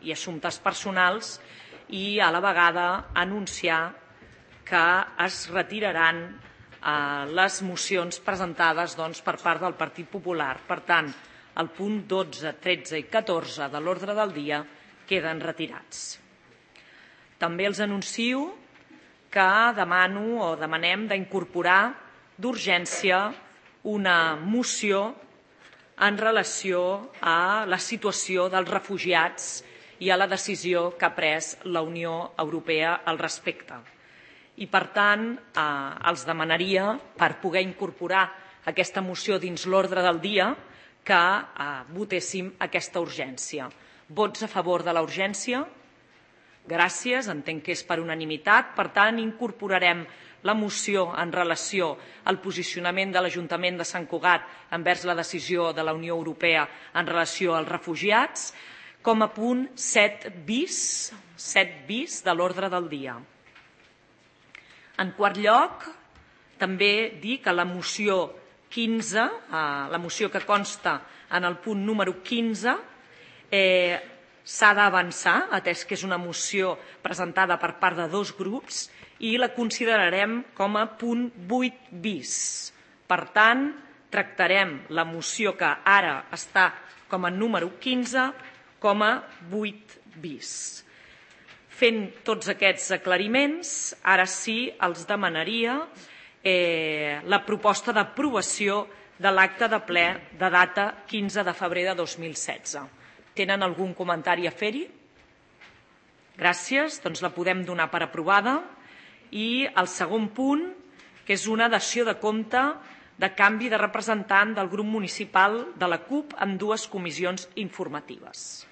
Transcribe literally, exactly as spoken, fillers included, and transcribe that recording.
i assumptes personals i a la vegada anunciar que es retiraran les mocions presentades per part del Partit Popular. Per tant, el punt dotze, tretze i catorze de l'ordre del dia queden retirats. També els anuncio que demano o demanem d'incorporar d'urgència una moció en relació a la situació dels refugiats i a la decisió que ha pres la Unió Europea al respecte. I, per tant, els demanaria, per poder incorporar aquesta moció dins l'ordre del dia, que votéssim aquesta urgència. Vots a favor de la urgència? Gràcies, entenc que és per unanimitat. Per tant, incorporarem la moció en relació al posicionament de l'Ajuntament de Sant Cugat envers la decisió de la Unió Europea en relació als refugiats com a punt set bis, set bis de l'ordre del dia. En quart lloc, també dir que la moció quinze, la moció que consta en el punt número quinze, s'ha d'avançar, atès que és una moció presentada per part de dos grups, i la considerarem com a punt vuit bis. Per tant, tractarem la moció que ara està com a número quinze com a vuit bis. Fent tots aquests aclariments, ara sí els demanaria la proposta d'aprovació de l'acte de ple de data quinze de febrer de dos mil setze. Tenen algun comentari a fer-hi? Gràcies, doncs la podem donar per aprovada. I el segon punt, que és una dació de compte de canvi de representant del grup municipal de la CUP en dues comissions informatives.